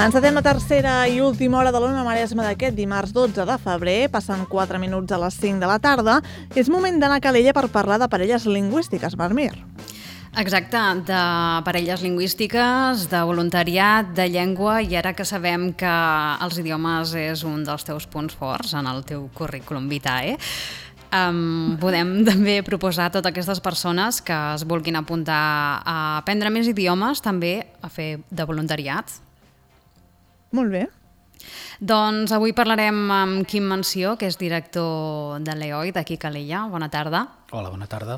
Encetem la tercera i última hora de l'Ona Maresma d'aquest dimarts 12 de febrer. Passen 4 minuts a les 5 de la tarda. És moment d'anar a Calella per parlar de parelles lingüístiques, Marmir. Exacte, de parelles lingüístiques, de voluntariat, de llengua, i ara que sabem que els idiomes és un dels teus punts forts en el teu currículum vitae, podem també proposar a totes aquestes persones que es vulguin apuntar a aprendre més idiomes, també a fer de voluntariat. Molt bé. Doncs avui parlarem amb Quim Mansió, que és director de l'EOI d'aquí a Calella. Bona tarda. Hola, bona tarda.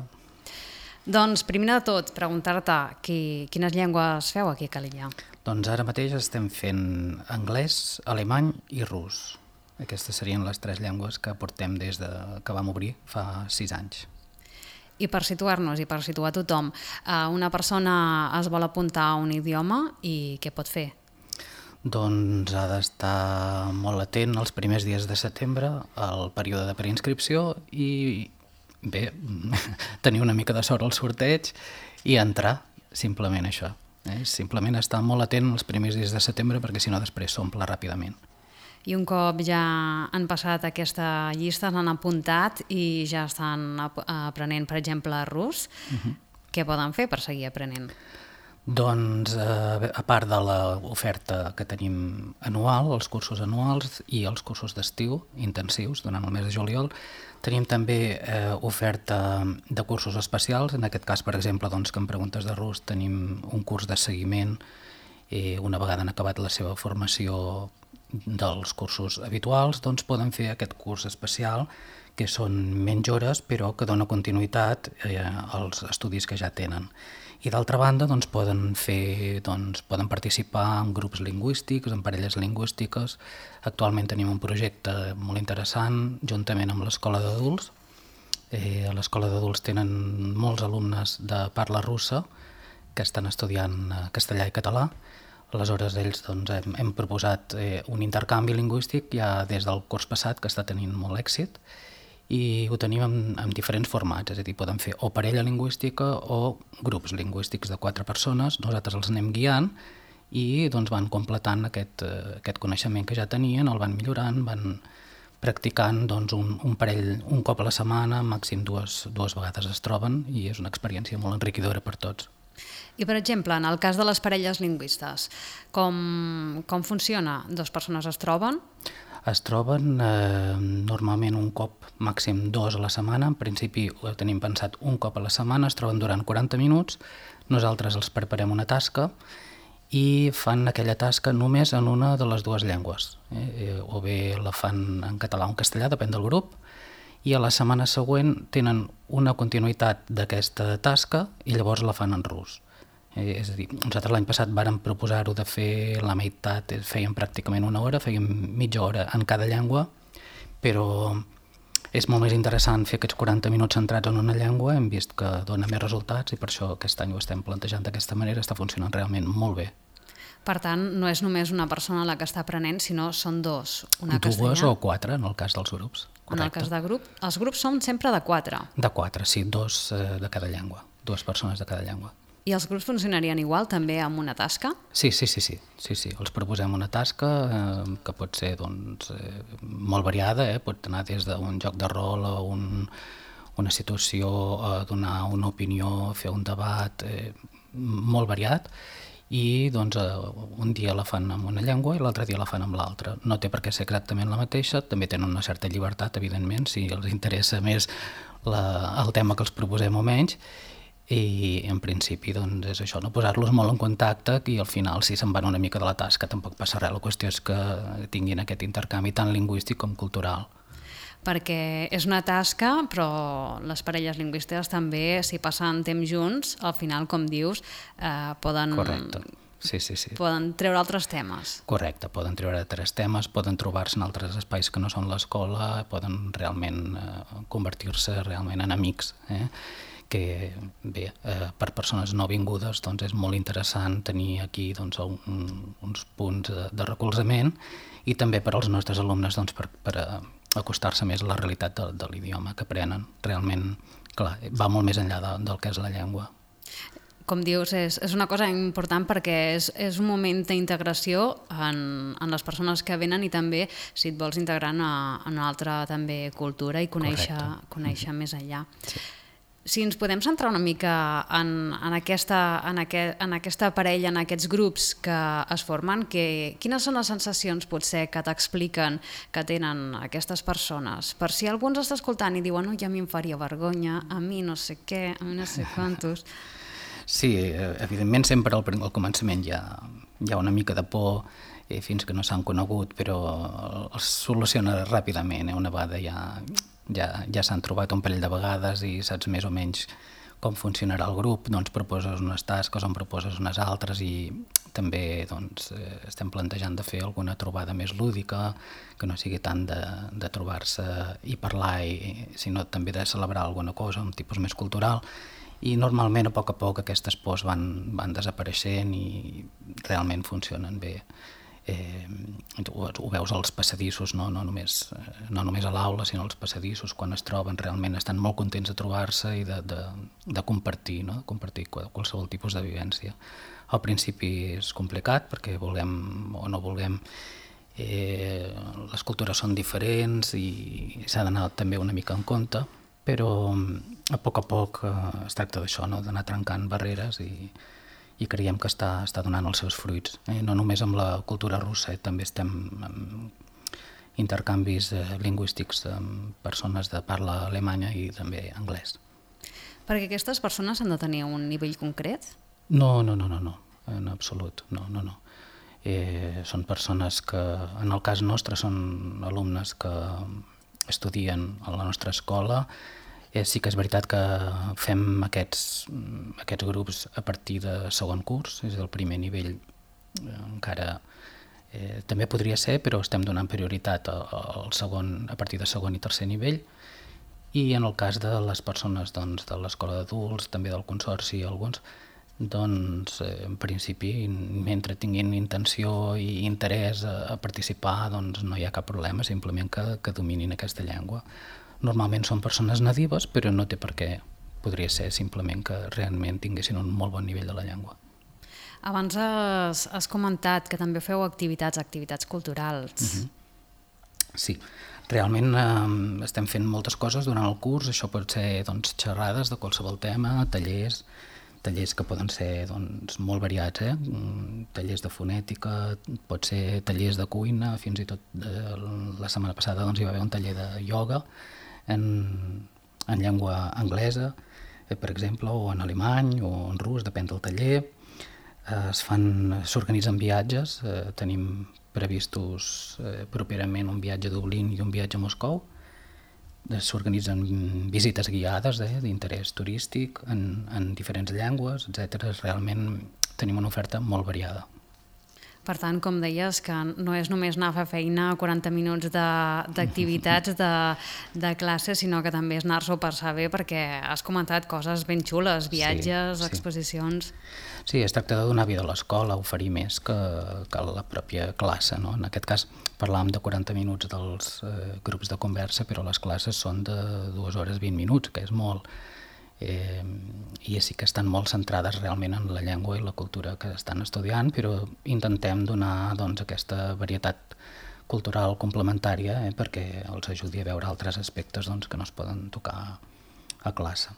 Doncs primer de tot, preguntar-te quines llengües feu aquí a Calella. Doncs ara mateix estem fent anglès, alemany i rus. Aquestes serien les 3 llengües que portem des que vam obrir fa 6 anys. I per situar-nos i per situar tothom, una persona es vol apuntar a un idioma i què pot fer? Doncs ha d'estar molt atent els primers dies de setembre, al període de preinscripció, i bé, tenir una mica de sort al sorteig i entrar, simplement això. Simplement estar molt atent els primers dies de setembre perquè si no després s'omple ràpidament. I un cop ja han passat aquesta llista, s'han apuntat i ja estan aprenent, per exemple, rus, què poden fer per seguir aprenent? Doncs, a part de l'oferta que tenim anual, els cursos anuals i els cursos d'estiu intensius durant el mes de juliol, tenim també oferta de cursos especials. En aquest cas, per exemple, doncs, que en preguntes de rus tenim un curs de seguiment una vegada han acabat la seva formació dels cursos habituals, doncs poden fer aquest curs especial, que són menys hores, però que dona continuïtat als estudis que ja tenen. I d'altra banda, doncs, poden participar en grups lingüístics, en parelles lingüístiques. Actualment tenim un projecte molt interessant, juntament amb l'Escola d'Adults. A l'Escola d'Adults tenen molts alumnes de parla russa que estan estudiant castellà i català. Aleshores, ells hem proposat un intercanvi lingüístic ja des del curs passat, que està tenint molt èxit, i ho tenim en diferents formats, és a dir, poden fer o parella lingüística o grups lingüístics de 4 persones. Nosaltres els anem guiant i van completant aquest coneixement que ja tenien, el van millorant, van practicant un parell un cop a la setmana, màxim dues vegades es troben, i és una experiència molt enriquidora per tots. I, per exemple, en el cas de les parelles lingüistes, com funciona? 2 persones es troben? Es troben normalment un cop, màxim 2 a la setmana. En principi ho tenim pensat un cop a la setmana, es troben durant 40 minuts, nosaltres els preparem una tasca i fan aquella tasca només en una de les 2 llengües. O bé la fan en català o en castellà, depèn del grup, i a la setmana següent tenen una continuïtat d'aquesta tasca i llavors la fan en rus. És a dir, nosaltres l'any passat vàrem proposar-ho de fer la meitat, fèiem pràcticament 1 hora, fèiem mitja hora en cada llengua, però és molt més interessant fer aquests 40 minuts centrats en una llengua. Hem vist que dona més resultats i per això aquest any ho estem plantejant d'aquesta manera, està funcionant realment molt bé. Per tant, no és només una persona la que està aprenent, sinó són 2. Una 2 o 4 en el cas dels grups. Correcte. En el cas de grup, els grups són sempre de 4. De 4, sí, 2 de cada llengua, 2 persones de cada llengua. I els grups funcionarien igual també amb una tasca? Sí. Els proposem una tasca que pot ser molt variada, pot anar des d'un joc de rol a una situació, a donar una opinió, fer un debat, molt variat, i un dia la fan amb una llengua i l'altre dia la fan amb l'altra. No té per què ser exactament la mateixa, també tenen una certa llibertat, evidentment, si els interessa més el tema que els proposem o menys, i en principi és això, no posar-los molt en contacte, i al final si se'n van una mica de la tasca tampoc passa res. La qüestió és que tinguin aquest intercanvi tant lingüístic com cultural. Perquè és una tasca, però les parelles lingüístiques també, si passen temps junts, al final, com dius, poden... Correcte. Sí. Poden treure altres temes. Correcte, poden treure altres temes, poden trobar-se en altres espais que no són l'escola, poden realment convertir-se realment en amics, que bé, per persones no vingudes és molt interessant tenir aquí uns punts de recolzament, i també per als nostres alumnes per acostar-se més a la realitat de l'idioma que aprenen. Realment, clar, va molt més enllà del que és la llengua. com dius, és una cosa important perquè és un moment d'integració en les persones que venen i també si et vols integrar en una altra també cultura i conèixer més enllà. Sí. Si ens podem centrar una mica en aquesta parella, en aquests grups que es formen, quines són les sensacions potser que t'expliquen que tenen aquestes persones? Per si algú ens està escoltant i diu, no, ja a mi em faria vergonya, a mi no sé què, a mi no sé quantos... Sí, evidentment sempre al començament hi ha una mica de por fins que no s'han conegut, però es soluciona ràpidament, una vegada ja s'han trobat un parell de vegades i saps més o menys com funcionarà el grup, doncs proposes unes tasques, en proposes unes altres i també doncs, estem plantejant de fer alguna trobada més lúdica, que no sigui tant de trobar-se i parlar, sinó també de celebrar alguna cosa, un tipus més cultural, i normalment a poc aquestes pors van desapareixent i realment funcionen bé. Ho veus als passadissos, no només a l'aula, sinó als passadissos, quan es troben realment estan molt contents de trobar-se i de compartir, no? Compartir qualsevol tipus de vivència. Al principi és complicat perquè vulguem o no vulguem, les cultures són diferents i s'ha d'anar també una mica en compte, però a poc es tracta d'això, no? D'anar trencant barreres i creiem que està donant els seus fruits. No només amb la cultura russa, també estem amb intercanvis lingüístics amb persones de parla alemanya i també anglès. Perquè aquestes persones han de tenir un nivell concret? No, en absolut, no. Són persones que, en el cas nostre, són alumnes que estudien a la nostra escola. Sí que és veritat que fem aquests grups a partir de segon curs, és el primer nivell encara també podria ser, però estem donant prioritat al segon, a partir de segon i tercer nivell, i en el cas de les persones doncs, de l'escola d'adults, també del consorci alguns, doncs en principi mentre tinguin intenció i interès a participar doncs no hi ha cap problema, simplement que dominin aquesta llengua. Normalment són persones nadives, però no té per què. Podria ser simplement que realment tinguessin un molt bon nivell de la llengua. Abans has comentat que també feu activitats culturals. Sí, realment estem fent moltes coses durant el curs. Això pot ser doncs, xerrades de qualsevol tema, tallers que poden ser doncs, molt variats, tallers de fonètica, pot ser tallers de cuina, fins i tot la setmana passada doncs, hi va haver un taller de ioga, en llengua anglesa, per exemple, o en alemany o en rus, depèn del taller. S'organitzen viatges, tenim previstos properament un viatge a Dublín i un viatge a Moscou. S'organitzen visites guiades d'interès turístic en diferents llengües, etc. Realment tenim una oferta molt variada. Per tant, com deies, que no és només anar a fer feina 40 minuts d'activitats de classe, sinó que també és anar-s'ho a passar bé, perquè has comentat coses ben xules, viatges, exposicions... Sí, es tracta de donar vida a l'escola, oferir més que la pròpia classe, no? En aquest cas parlàvem de 40 minuts dels grups de conversa, però les classes són de 2 hores 20 minuts, que és molt... I sí que estan molt centrades realment en la llengua i la cultura que estan estudiant, però intentem donar doncs, aquesta varietat cultural complementària perquè els ajudi a veure altres aspectes doncs, que no es poden tocar a classe.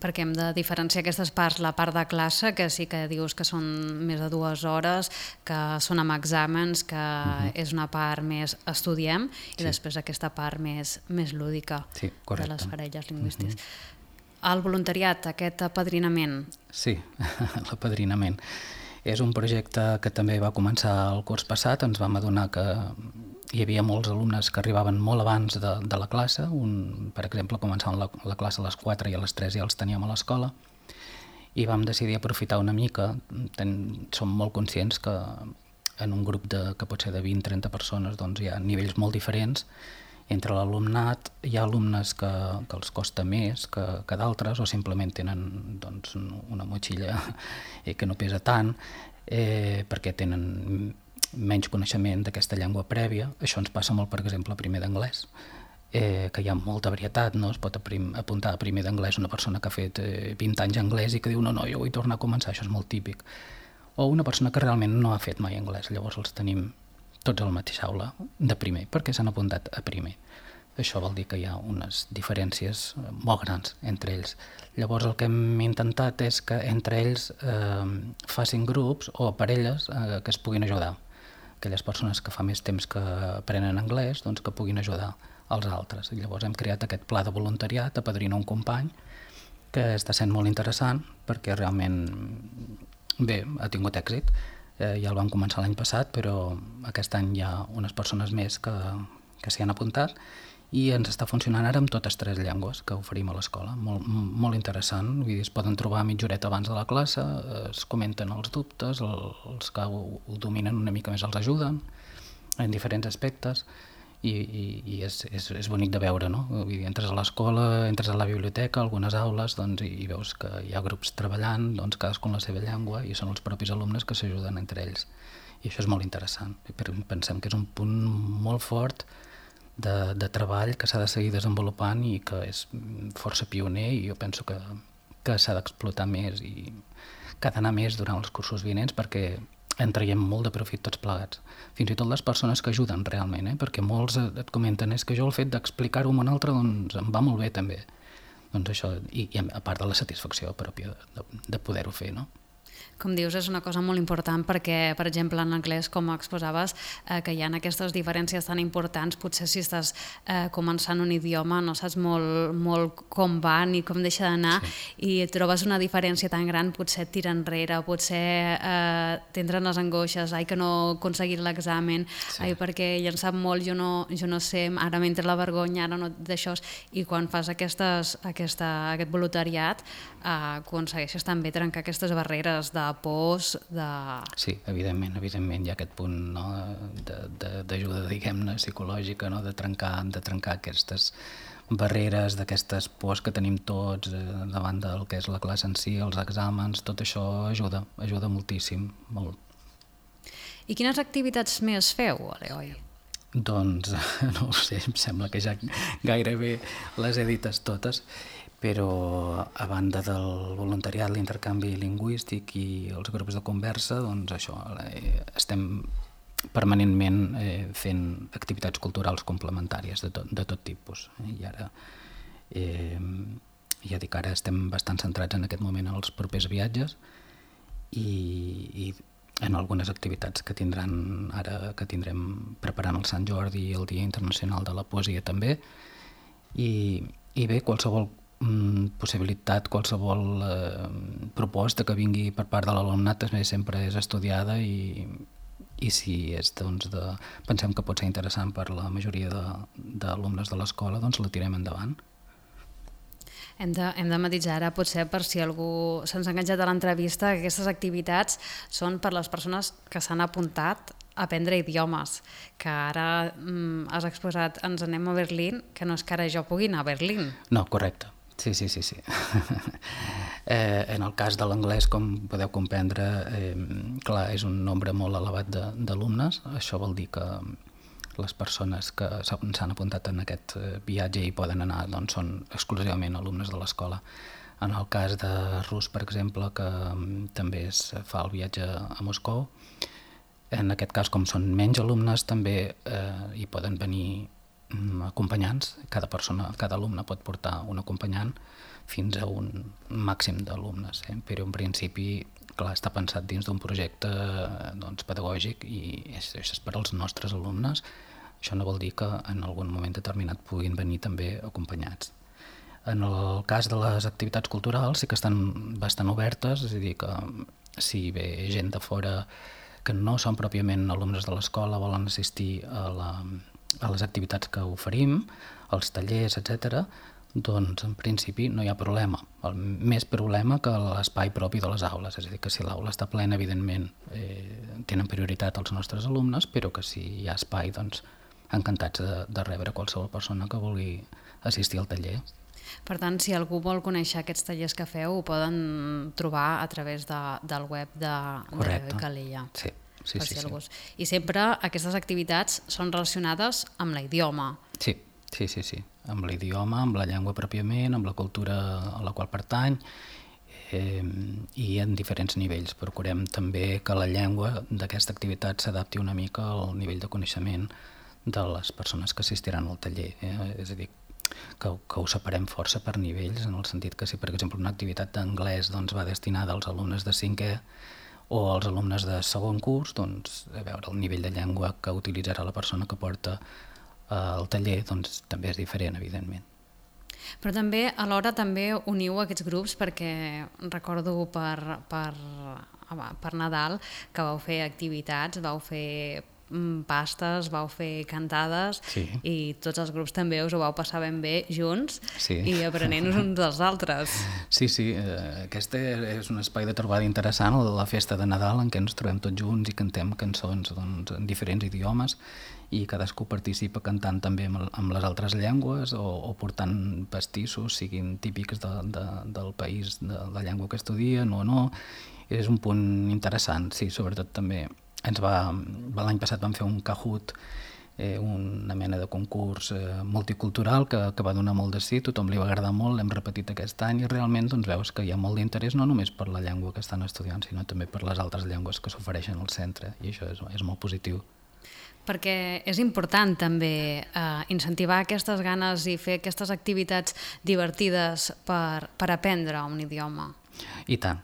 Perquè hem de diferenciar aquestes parts, la part de classe, que sí que dius que són més de 2 hores, que són amb exàmens, que és una part més estudiem, i després aquesta part més lúdica de les parelles lingüístiques. El voluntariat, aquest apadrinament. Sí, l'apadrinament. És un projecte que també va començar el curs passat. Ens vam adonar que hi havia molts alumnes que arribaven molt abans de la classe. Per exemple, començaven la classe a les 4 i a les 3 ja els teníem a l'escola. I vam decidir aprofitar una mica. Som molt conscients que en un grup que pot ser de 20-30 persones doncs hi ha nivells molt diferents. Entre l'alumnat hi ha alumnes que els costa més que d'altres o simplement tenen doncs, una motxilla que no pesa tant perquè tenen menys coneixement d'aquesta llengua prèvia. Això ens passa molt, per exemple, primer d'anglès. que hi ha molta varietat, no? Es pot apuntar a primer d'anglès una persona que ha fet 20 anys anglès i que diu no, jo vull tornar a començar, això és molt típic. O una persona que realment no ha fet mai anglès, llavors els tenim tots a la mateixa aula de primer, perquè s'han apuntat a primer. Això vol dir que hi ha unes diferències molt grans entre ells. Llavors el que hem intentat és que entre ells facin grups o parelles que es puguin ajudar. Aquelles persones que fa més temps que aprenen anglès, doncs que puguin ajudar als altres. I llavors hem creat aquest pla de voluntariat, apadrina un company, que està sent molt interessant perquè realment bé, ha tingut èxit. Ja el vam començar l'any passat, però aquest any hi ha unes persones més que s'hi han apuntat i ens està funcionant ara amb totes 3 llengües que oferim a l'escola. Molt interessant, vull dir, es poden trobar mitja horeta abans de la classe, es comenten els dubtes, els que ho dominen una mica més els ajuden en diferents aspectes i és bonic de veure, no? Vull dir, entres a l'escola, entres a la biblioteca, algunes aules, doncs, i veus que hi ha grups treballant, doncs, cadascú en la seva llengua, i són els propis alumnes que s'ajuden entre ells. I això és molt interessant. Pensem que és un punt molt fort de treball que s'ha de seguir desenvolupant i que és força pioner i jo penso que s'ha d'explotar més i que ha d'anar més durant els cursos vinents perquè en traiem molt de profit tots plegats. Fins i tot les persones que ajuden realment, perquè molts et comenten és que jo el fet d'explicar-ho a un altre doncs em va molt bé també. Doncs això, i a part de la satisfacció pròpia de poder-ho fer, no? Com dius, és una cosa molt important perquè, per exemple, en anglès, com exposaves, que hi ha aquestes diferències tan importants, potser si estàs començant un idioma no saps molt com va ni com deixa d'anar i trobes una diferència tan gran, potser et tira enrere, potser t'entren les angoixes, que no he aconseguit l'examen, perquè ja en sap molt, jo no sé, ara m'entra la vergonya, ara no d'això, i quan fas aquest voluntariat aconsegueixes també trencar aquestes barreres de pors, de... Sí, evidentment, hi ha aquest punt, no, d'ajuda, diguem-ne, psicològica, no, de trencar aquestes barreres, d'aquestes pors que tenim tots davant del que és la classe en si, els exàmens, tot això ajuda moltíssim, molt. I quines activitats més feu, Eloi? Doncs, no ho sé, em sembla que ja gairebé les he dites totes, però a banda del voluntariat, l'intercanvi lingüístic i els grups de conversa, doncs això, estem permanentment fent activitats culturals complementàries de tot tipus. I ara, ja dic, ara estem bastant centrats en aquest moment en els propers viatges i en algunes activitats que tindrem preparant el Sant Jordi i el Dia Internacional de la Poesia també, i bé, qualsevol possibilitat, qualsevol proposta que vingui per part de l'alumnat sempre és estudiada i si és, doncs, pensem que pot ser interessant per la majoria d'alumnes de l'escola, doncs la tirem endavant. Hem de matisar ara, potser per si algú se'ns ha enganxat a l'entrevista, que aquestes activitats són per les persones que s'han apuntat a aprendre idiomes, que ara has exposat, ens anem a Berlín, que no és que ara jo pugui anar a Berlín. No, correcte. Sí. En el cas de l'anglès, com podeu comprendre, clar, és un nombre molt elevat d'alumnes. Això vol dir que les persones que s'han apuntat en aquest viatge i poden anar doncs, són exclusivament alumnes de l'escola. En el cas de rus, per exemple, que també es fa el viatge a Moscou, en aquest cas, com són menys alumnes, també hi poden venir acompanyants. Cada alumne pot portar un acompanyant fins a un màxim d'alumnes, però en principi, clar, està pensat dins d'un projecte pedagògic i és per als nostres alumnes. Això no vol dir que en algun moment determinat puguin venir també acompanyats. En el cas de les activitats culturals sí que estan bastant obertes, és a dir, que si ve gent de fora que no són pròpiament alumnes de l'escola, volen assistir a les activitats que oferim, als tallers, etc., doncs en principi no hi ha problema. El més problema que l'espai propi de les aules, és a dir, que si l'aula està plena, evidentment tenen prioritat els nostres alumnes, però que si hi ha espai, doncs encantats de rebre qualsevol persona que vulgui assistir al taller. Per tant, si algú vol conèixer aquests tallers que feu, ho poden trobar a través del web de Calella. Sí. Sí. I sempre aquestes activitats són relacionades amb l'idioma. Sí, Sí, amb l'idioma, amb la llengua pròpiament, amb la cultura a la qual pertany, i en diferents nivells. Procurem també que la llengua d'aquesta activitat s'adapti una mica al nivell de coneixement de les persones que assistiran al taller. És a dir, que ho separem força per nivells, en el sentit que si, per exemple, una activitat d'anglès va destinada als alumnes de 5è o als alumnes de segon curs, doncs, a veure, el nivell de llengua que utilitzarà la persona que porta el taller també és diferent, evidentment. Però també, alhora, també uniu aquests grups perquè recordo per Nadal que vau fer activitats, vau fer pastes, vau fer cantades, sí. I tots els grups també us ho vau passar ben bé junts, sí. I aprenent-nos uns dels altres. Sí, aquest és un espai de trobada interessant, la festa de Nadal, en què ens trobem tots junts i cantem cançons en diferents idiomes, i cadascú participa cantant també amb les altres llengües o portant pastissos, siguin típics del país, de la llengua que estudien o no. És un punt interessant, sí, sobretot també l'any passat vam fer un Kahoot, una mena de concurs multicultural que va donar molt de sí, tothom li va agradar molt, l'hem repetit aquest any i realment veus que hi ha molt d'interès no només per la llengua que estan estudiant, sinó també per les altres llengües que s'ofereixen al centre, i això és molt positiu. Perquè és important també incentivar aquestes ganes i fer aquestes activitats divertides per aprendre un idioma. I tant,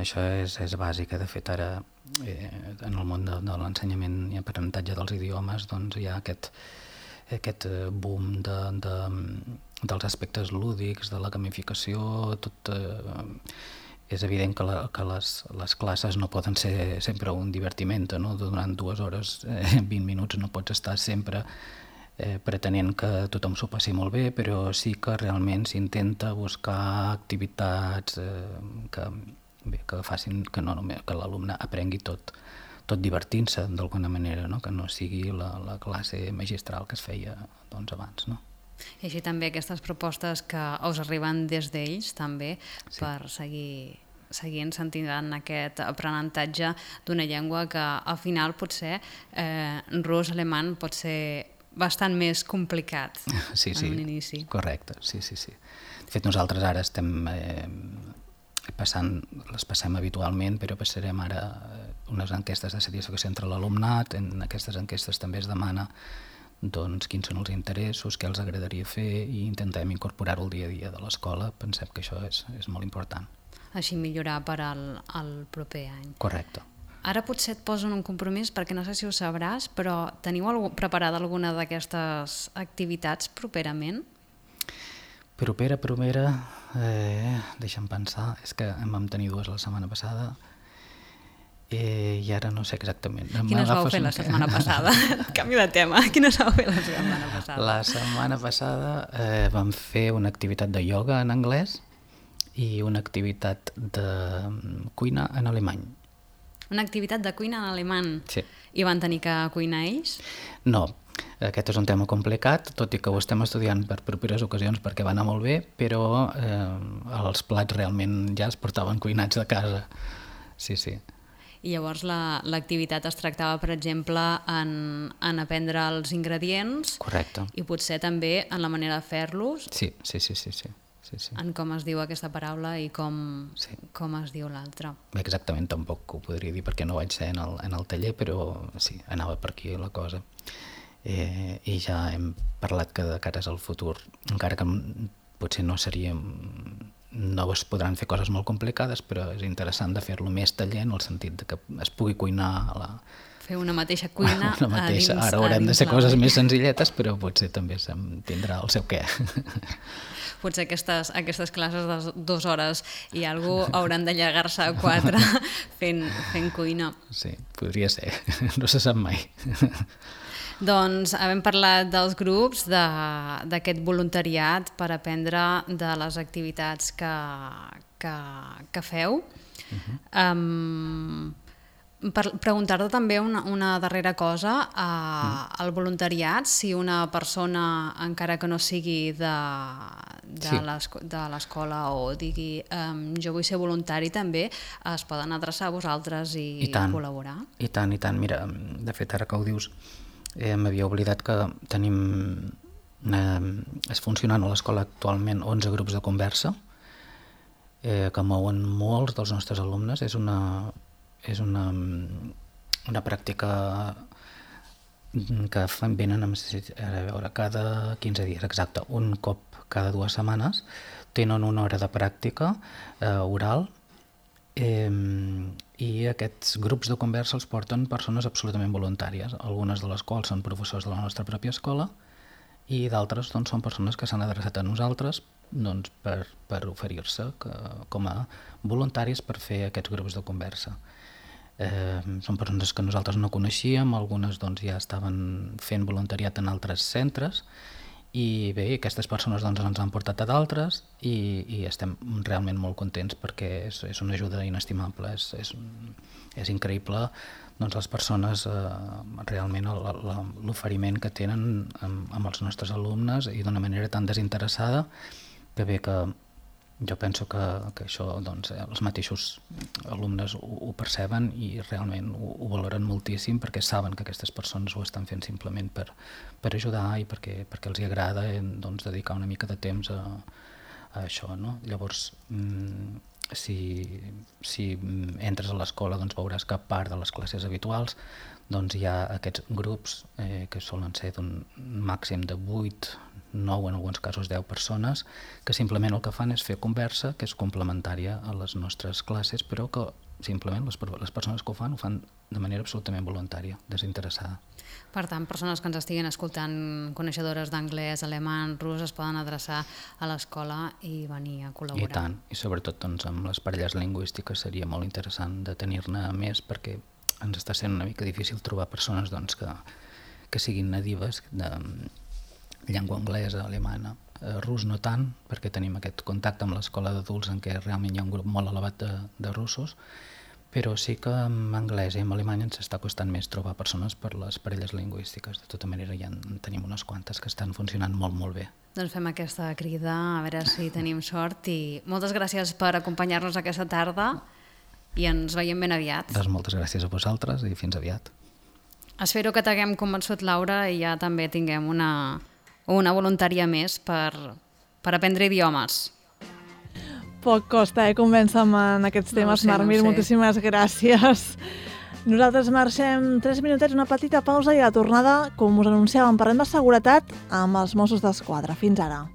això és bàsic. De fet, ara en el món de l'ensenyament i aprenentatge dels idiomes hi ha aquest boom dels aspectes lúdics, de la gamificació, és evident que les classes no poden ser sempre un divertiment, no? Durant 2 hores, 20 minuts no pots estar sempre pretenent que tothom s'ho passi molt bé, però sí que realment s'intenta buscar activitats que facin que l'alumne aprengui tot divertint-se d'alguna manera, no? Que no sigui la classe magistral que es feia abans, no? I així també aquestes propostes que us arriben des d'ells també, sí. Per seguir incentivant aquest aprenentatge d'una llengua que al final potser rus alemany pot ser bastant més complicat en un inici. Correcte, sí. De fet, nosaltres ara estem les passem habitualment, però passarem ara unes enquestes de satisfacció entre l'alumnat. En aquestes enquestes també es demana quins són els interessos, què els agradaria fer, i intentem incorporar-ho al dia a dia de l'escola. Pensem que això és molt important. Així millorar per al proper any. Correcte. Ara potser et posen un compromís, perquè no sé si ho sabràs, però teniu preparada alguna d'aquestes activitats properament? Propera, deixa'm pensar, és que en vam tenir 2 la setmana passada i ara no sé exactament. Quines vau fer la setmana passada? Canvi de tema, quines vau fer la setmana passada? La setmana passada vam fer una activitat de ioga en anglès i una activitat de cuina en alemany. Una activitat de cuina en alemany? Sí. I van tenir que cuinar ells? No. Aquest és un tema complicat, tot i que ho estem estudiant per properes ocasions perquè va anar molt bé, però els plats realment ja es portaven cuinats de casa. Sí. I llavors l'activitat es tractava, per exemple, en aprendre els ingredients. Correcte. I potser també en la manera de fer-los. Sí. En com es diu aquesta paraula i com es diu l'altra. Exactament, tampoc ho podria dir perquè no vaig ser en el taller, però sí, anava per aquí la cosa. I ja hem parlat que de cares al futur, encara que potser no es podran fer coses molt complicades, però és interessant de fer-lo més taller en el sentit de que es pugui cuinar fer una mateixa cuina Ara haurem de ser coses més senzilletes, però potser també tindrà el seu què. Potser aquestes classes de 2 hores i algú hauran d'allargar-se a 4 fent cuina. Sí, podria ser, no se sap mai. Doncs havem parlat dels grups, d'aquest voluntariat per aprendre de les activitats que feu. Preguntar-te també una darrera cosa, al voluntariat, si una persona, encara que no sigui de l'escola o digui jo vull ser voluntari també, es poden adreçar a vosaltres i col·laborar? I tant. Mira, de fet, ara que ho dius, m'havia oblidat que tenim es funcionen a l'escola actualment 11 grups de conversa que mouen molts dels nostres alumnes. És una pràctica que venen cada 15 dies, exacte, un cop cada 2 setmanes. Tenen una hora de pràctica oral i aquests grups de conversa els porten persones absolutament voluntàries, algunes de les quals són professors de la nostra pròpia escola i d'altres doncs, són persones que s'han adreçat a nosaltres doncs, per oferir-se com a voluntaris per fer aquests grups de conversa. Són persones que nosaltres no coneixíem, algunes doncs, ja estaven fent voluntariat en altres centres i bé, aquestes persones doncs, ens han portat a d'altres i estem realment molt contents perquè és una ajuda inestimable, és increïble doncs, les persones realment l'oferiment que tenen amb els nostres alumnes i d'una manera tan desinteressada que bé que jo penso que això doncs, els mateixos alumnes ho perceben i realment ho valoren moltíssim perquè saben que aquestes persones ho estan fent simplement per ajudar i perquè els hi agrada doncs, dedicar una mica de temps a això. No? Llavors, si entres a l'escola doncs, veuràs que a part de les classes habituals doncs, hi ha aquests grups que solen ser d'un màxim de 8, 9, en alguns casos 10 persones, que simplement el que fan és fer conversa, que és complementària a les nostres classes, però que simplement les persones que ho fan de manera absolutament voluntària, desinteressada. Per tant, persones que ens estiguin escoltant, coneixedores d'anglès, alemany, rus, es poden adreçar a l'escola i venir a col·laborar. I tant, i sobretot doncs, amb les parelles lingüístiques seria molt interessant de tenir-ne més perquè ens està sent una mica difícil trobar persones doncs, que siguin nadives de llengua anglesa, alemana, rus no tant, perquè tenim aquest contacte amb l'escola d'adults en què realment hi ha un grup molt elevat de russos, però sí que en anglès i en alemany ens està costant més trobar persones per les parelles lingüístiques. De tota manera ja en tenim unes quantes que estan funcionant molt, molt bé. Doncs fem aquesta crida, a veure si tenim sort i moltes gràcies per acompanyar-nos aquesta tarda i ens veiem ben aviat. Doncs moltes gràcies a vosaltres i fins aviat. Espero que t'haguem convençut, Laura, i ja també tinguem una voluntària més per aprendre idiomes. Poc costa, convèncer-me en aquests temes, Marmir. Moltíssimes gràcies. Nosaltres marxem 3 minutets, una petita pausa i a la tornada, com us anunciàvem, parlem de seguretat amb els Mossos d'Esquadra. Fins ara.